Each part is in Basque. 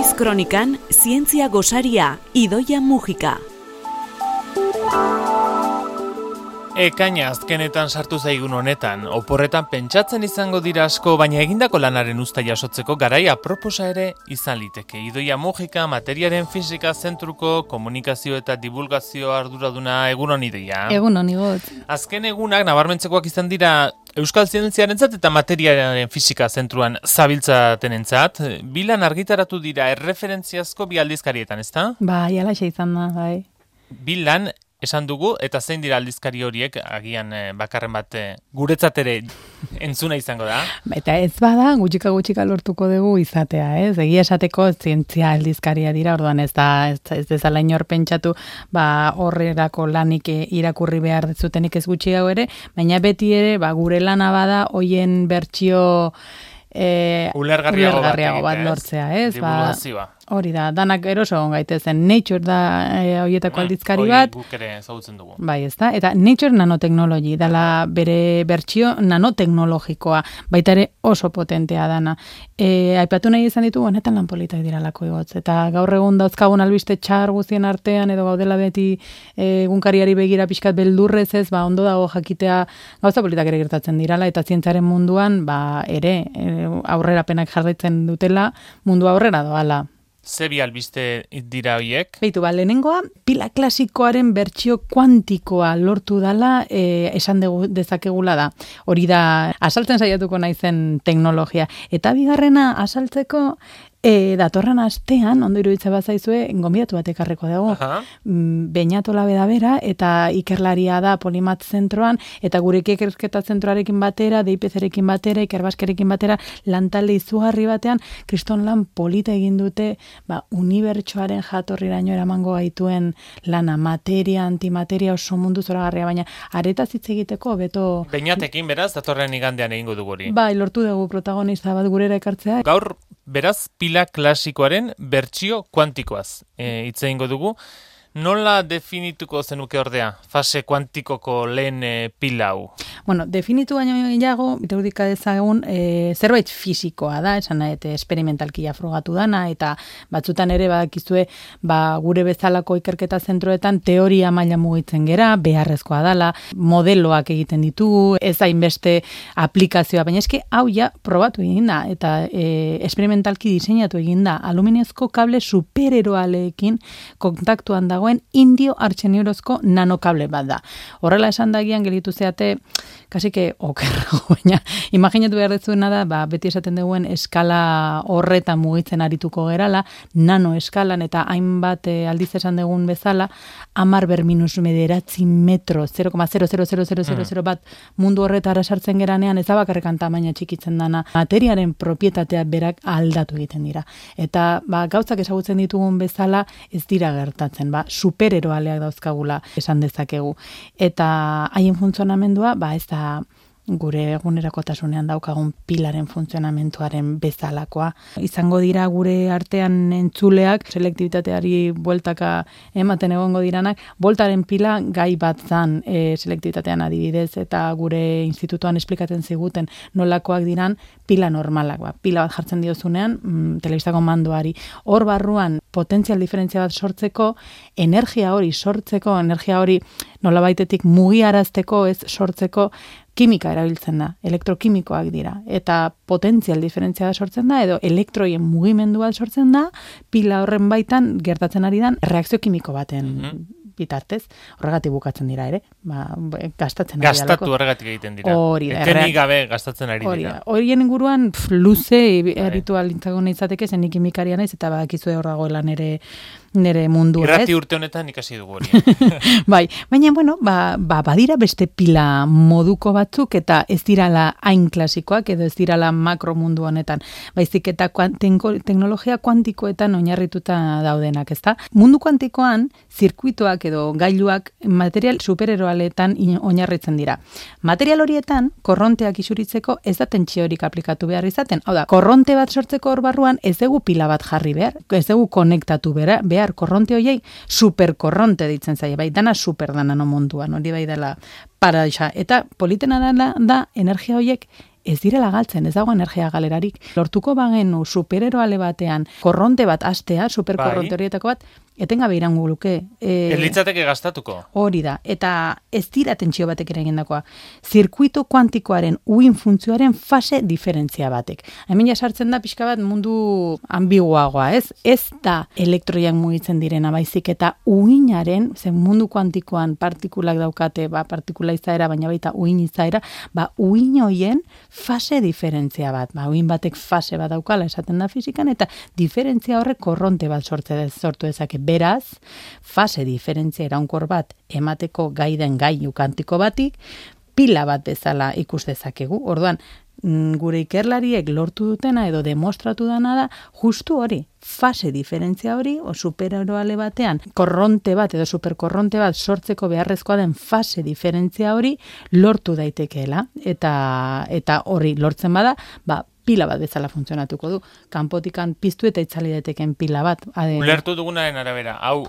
Naiz kronikan, zientzia gosaria, Idoia Mujika. Ekaina azkenetan sartu zaigun honetan, oporretan pentsatzen izango dira asko, baina egindako lanaren uzta jasotzeko garai aproposa ere izan liteke. Idoia Mujika, materiaren fisika zentruko komunikazio eta divulgazio arduraduna, egunon Idoia. Egunon igot. Azken egunak nabarmentzekoak izan dira Euskal Zientziarentzat eta materiaren fisika zentruan zabiltzatenentzat. Bilan argitaratu dira erreferentziazko bi aldizkarietan, ezta? Bai, alaxe izan da, bai. Bilan esan dugu, eta zein dira aldizkari horiek, agian bakarren bat guretzat ere entzuna izango da? Eta ez bada, gutxika lortuko dugu izatea, ez? Egia esateko zientzia aldizkaria dira, orduan ez dezala inor pentsatu, horrerako lanik irakurri behar zutenik ez gutxiago ere, baina beti ere, gure lana bada, hoien bertsio ulergarriago bat lortzea, ez? Divulgazioa. Hori da, danak eroso gaitezen. Nature da horietako aldizkari bat. Guk ere ezagutzen dugu. Bai, ez da. Eta Nature Nanotechnology, dala bere bertsio nanoteknologikoa, baita ere oso potentea dana. Aipatu nahi izan ditugu, honetan lan politak diralako igotz. Eta gaur egun dauzkagun albiste txar guztien artean, edo gaudela beti egunkariari begira pixkat beldurrez ez, ondo dago jakitea gauza politak ere gertatzen dirala, eta zientzaren munduan, ere aurrerapenak jarraitzen dutela, mundu aurrera doala. Ze bi albiste dira horiek? Beitu, lehenengoa, pila klasikoaren bertsio kuantikoa lortu dala esan dezakegula da. Hori da, asaltzen saiatuko naizen teknologia. Eta bigarrena, asaltzeko, datorren astean, ondo iruditza bazaizue, gonbidatu bat ekarreko dago. Beñatola bera, eta ikerlaria da Polimat zentroan, eta gurek ikerketa zentroarekin batera, DIPZ-rekin batera, ikerbaskerekin batera, lantalde izugarri batean, kriston lan polita egin dute, unibertsoaren jatorriraino eramango gaituen lana, materia, antimateria oso mundu zoragarria, baina aretaz hitz egiteko, beto... Beñatekin, beraz, datorren igandean egingo dugu hori. Bai, lortu dugu protagonista bat gurera ekartzea. Gaur, beraz, pila klasikoaren bertsio kuantikoaz hitz egingo dugu. Nola definituko zenuke ordea, fase kuantikoko lehen pila hau? Bueno, definitu baino gehiago, iraudika dezagun, zerbait fisikoa da, esan nahi, esperimentalkia frogatu dana, eta batzutan ere badakizue, gure bezalako ikerketa zentroetan teoria maila mugitzen gera, beharrezkoa dala, modeloak egiten ditugu, ez hainbeste aplikazioa, baina eske hau ja probatu egin da, eta esperimentalki diseinatu egin da, aluminiozko kable supereroaleekin kontaktuan dagoen indio artxeniurozko nanokable bat da. Horrela esan dagian gelitu zeate, kasike okerrago, baina imaginatu behar dezuena da, beti esaten duguen eskala horretan mugitzen arituko gerala, nano eskalan eta hainbat aldiz esan dugun bezala, 10⁻⁻⁴ metro, 0,00000 bat mundu horretara sartzen geranean, ez da bakarrekan tamaina txikitzen dana, materiaren propietatea berak aldatu egiten dira. Eta gauzak ezagutzen ditugun bezala ez dira gertatzen, supereroaleak dauzkagula esan dezakegu. Eta haien funtzionamendua, ez da gure egunerakotasunean daukagun pilaren funtzionamentuaren bezalakoa. Izango dira gure artean entzuleak, selektibitateari bueltaka ematen egongo diranak, voltaren pila gai bat zan selektibitatean adibidez, eta gure institutoan esplikatzen ziguten nolakoak diran pila normalak. Pila bat jartzen diozunean, telebistako mandoari. Hor barruan potentzial diferentzia bat sortzeko, energia hori nolabaitetik mugiarazteko, ez sortzeko, kimika erabiltzen da, elektrokimikoak dira, eta potentzial diferentzia sortzen da, edo elektroien mugimendu bat sortzen da, pila horren baitan gertatzen ari dan reakzio kimiko baten bitartez, horregatik bukatzen dira ere, gastatzen ari dalako. Gastatu horregatik egiten dira. Etenik gabe gastatzen ari dira. Horien inguruan luze erritual intzagun izateke, zen kimikaria naiz, eta badakizue hor dagoela nere mundua, ez? Irrati urte honetan ikasi dugu hori. Bai, baina, badira beste pila moduko batzuk, eta ez dirala hain klasikoak, edo ez dirala makro mundu honetan. Baizik eta teknologia kuantikoetan oinarrituta daudenak, ezta? Mundu kuantikoan, zirkuituak edo gailuak material supereroaletan oinarritzen dira. Material horietan, korronteak isuritzeko ez da tentsiorik aplikatu behar izaten. Hau da, korronte bat sortzeko hor barruan ez dugu pila bat jarri behar, ez dugu konektatu behar, korronte hoiei superkorronte ditzen zaie, bai, dana super dana no munduan, hori bai dela paraisa. Eta politena da energia hoiek ez direla galtzen, ez dago energia galerarik. Lortuko bagenu supereroale batean korronte bat astea, superkorronte horietako bat, etengabe irango luke. Ez litzateke gastatuko. Hori da, eta ez dira tentsio batek ere egindakoa. Zirkuito kuantikoaren uin funtzioaren fase diferentzia batek. Hemen ja sartzen da pixka bat mundu ambiguagoa, ez? Ez da elektroiak mugitzen direna baizik eta uinaren, zen mundu kuantikoan partikulak daukate, partikula izaera, baina baita uin izaera, uin hoien fase diferentzia bat. Uin batek fase bat daukala esaten da fizikan, eta diferentzia horrek korronte bat sortu dezake. Beraz, fase diferentzia iraunkor bat emateko gai den gailu kantiko batik, pila bat bezala ikus dezakegu. Orduan, gure ikerlariek lortu dutena edo demostratu dana da, justu hori, fase diferentzia hori, o supereroale batean, korronte bat edo superkorronte bat sortzeko beharrezkoa den fase diferentzia hori lortu daitekeela. Eta hori lortzen bada, pila bat bezala funtzionatuko du. Kanpotikan piztu eta itzali daiteken pila bat. Ulertu dugunaren arabera, hau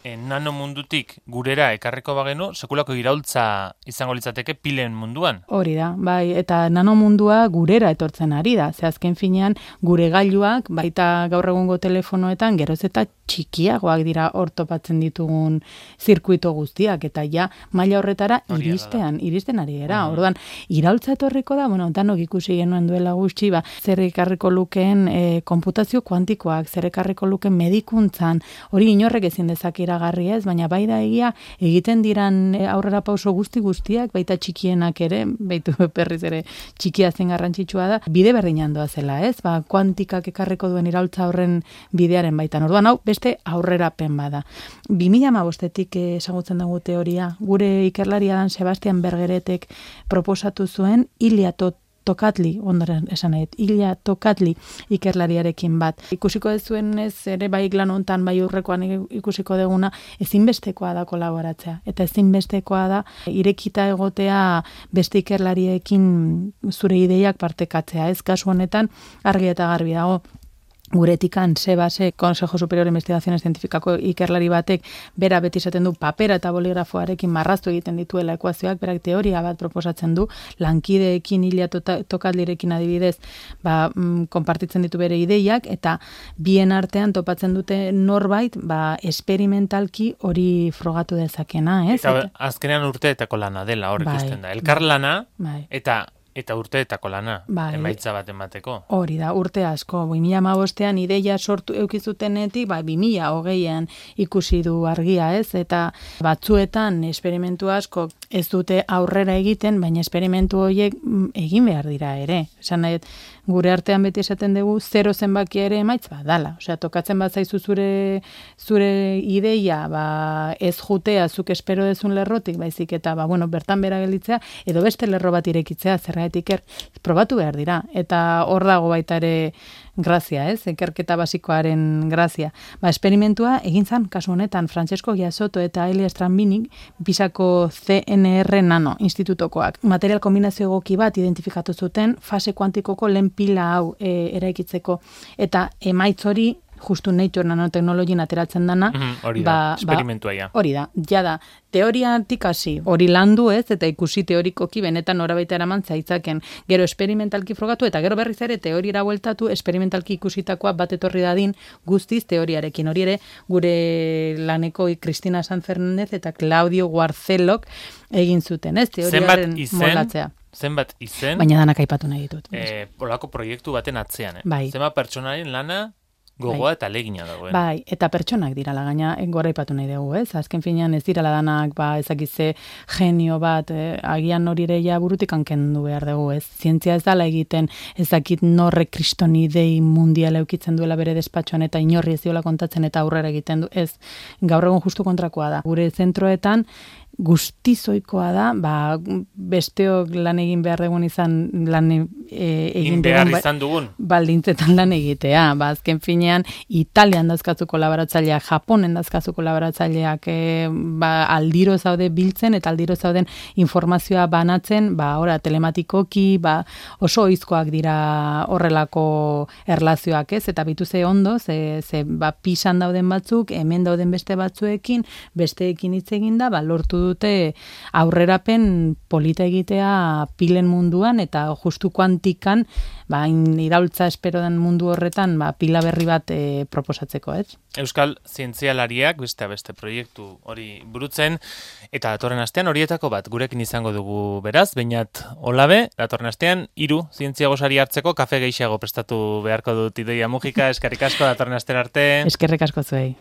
nano mundutik gurera ekarriko bagenu, sekulako iraultza izango litzateke pilen munduan. Hori da, bai, eta nano mundua gurera etortzen ari da. Ze azken finean gure gailuak, baita gaur egungo telefonoetan, geroz eta txikiagoak dira hor topatzen ditugun zirkuito guztiak, eta ja maila horretara iristen ari gara. Orduan, iraultza etorriko da, danok ikusi genuen duela gutxi, zer ekarriko lukeen konputazio kuantikoak, zer ekarriko lukeen medikuntzan, hori inorrek ezin dezak iragarri ez, baina bai da egia egiten diran aurrera pauso guztiak, baita txikienak ere, baitu berriz ere txikia zen garrantzitsua da, bide berdinan doa zela ez, kuantikak ekarriko duen iraultza horren bidearen baitan. Orduan, hau, beste aurrerapen bada. 2015-etik ezagutzen dugu teoria, gure ikerlaria dan Sebastian Bergeretek proposatu zuen Ilya Tokatli, ondoren esan nahi, Ilya Tokatli ikerlariarekin bat. Ikusiko dezuen ez, ere bai lan hontan, bai urrekoan ikusiko deguna, ezinbestekoa da kolaboratzea. Eta ezinbestekoa da irekita egotea beste ikerlariekin zure ideiak partekatzea. Ez kasu honetan argi eta garbi dago. Guretikan Sebase, Consejo Superior de Investigaciones Científicako ikerlari batek, bera beti esaten du papera eta boligrafoarekin marraztu egiten dituela ekuazioak, berak teoria bat proposatzen du, lankideekin Ilya Tokatlirekin adibidez, konpartitzen ditu bere ideiak, eta bien artean topatzen dute norbait, esperimentalki hori frogatu dezakena, ez? Eta azkenean urteetako lana dela, hor ikusten da. Elkar lana, eta urteetako lana, emaitza bat emateko. Hori da, urte asko. 2015ean ideia sortu eukizutenetik, 2020ean ikusi du argia, ez? Eta batzuetan esperimentu asko ez dute aurrera egiten, baina esperimentu horiek egin behar dira ere. Esan nahi, gure artean beti esaten dugu, 0 zenbaki ere emaitz dala. Osea, tokatzen bat zaizu zure ideia, ez jutea zuk espero dezun lerrotik, baizik eta, bertan bera gelditzea, edo beste lerro bat irekitzea, zergatik probatu behar dira. Eta hor dago baita ere grazia, ez? Ikerketa basikoaren grazia. Esperimentua egin zan, kasu honetan, Francesco Giasotto eta Elia Strambinik, Pisako CNR Nano institutokoak. Material kombinazio egoki bat identifikatu zuten fase kuantikoko lehen pila hau eraikitzeko. Eta emaitz hori justu Nature nanoteknologien ateratzen dana. Hori da, esperimentua ja. Hori da, jada, teoriatik hasi, hori landu ez, eta ikusi teorikoki benetan norabaita eraman zaitzaken, gero esperimentalki frogatu, eta gero berriz ere teoriara bueltatu, esperimentalki ikusitakoa bat etorri dadin guztiz teoriarekin. Hori ere, gure laneko Cristina San Fernández eta Claudio Guarcelok egin zuten, ez? Teoriaren molatzea. Zenbat izen? Baina danak aipatu nahi ditut. Polako proiektu baten atzean, Bai. Zenbat pertsonaren lana gogoa eta legina dagoen. Bai, eta pertsonak dirala gaina gora ipatu nahi dugu, ez? Azken finean ez dirala danak, ezakize genio bat, agian hori ere ja burutik hankendu behar dugu, ez? Zientzia ez dala egiten, ezakit norre kriston idei mundiala eukitzen duela bere despatxoan eta inorri ez diola kontatzen eta aurrera egiten du, ez? Gaur egun justu kontrakoa da. Gure zentroetan guztizoikoa da, besteok lan egin behar dugun izan lan egin behar izan dugun baldintzetan lan egitea. Azken finean, Italian dazkazu kolaboratzaileak, Japonen dazkazu kolaboratzaileak, aldiro zaude biltzen eta aldiro zauden informazioa banatzen, telematikoki, oso oizkoak dira horrelako erlazioak, ez? Eta bitu ze ondo, pisan dauden batzuk, hemen dauden beste batzuekin, besteekin hitz egin da, lortu dute aurrerapen polita egitea pilen munduan, eta justu kuantikan, iraultza espero den mundu horretan, pila berri bat proposatzeko, ez? Euskal zientzialariak beste proiektu hori burutzen, eta datorren astean horietako bat gurekin izango dugu beraz, Beñat Olabe, datorren astean 3 zientzia gosari hartzeko kafe gehiago prestatu beharko dut Idoia Mujika, eskerrik asko datorren astera arte. Eskerrik asko zuei.